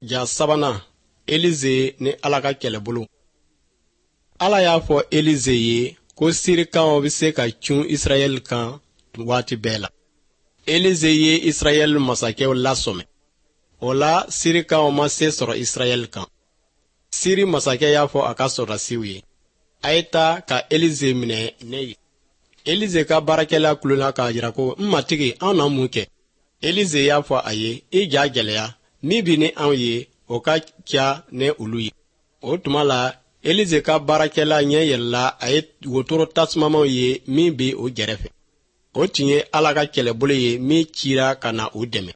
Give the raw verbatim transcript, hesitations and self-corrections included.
Ja sabanan, Elize ni Ala ka kɛlɛbolo. Ala y'a fɔ Elize ye ko Sirikanw bɛ se ka cun Israɛl kan waati bɛɛ la. Elize ye Israɛl masakɛw lasɔmɛ. O la, Sirikanw ma se sɔrɔ Israɛl kan. Siri masakɛ y'a fɔ a ka sɔrɔdasiw ye: "A ye taa ka Elize minɛ ne ye." Elize ka baarakɛla kulola k'a jira ko: "N matigi, anw na mun kɛ?" Elize y'a fɔ a ye: "I ja gɛlɛya, min bɛ ni anw ye, o ka ca ni olu ye." O tuma la, Elize ka baarakɛla ɲɛ yɛlɛla, a ye wotoro tasumamaw ye min bɛ o gɛrɛfɛ. O tun ye Ala ka kɛlɛbolo ye min cira ka na u dɛmɛ.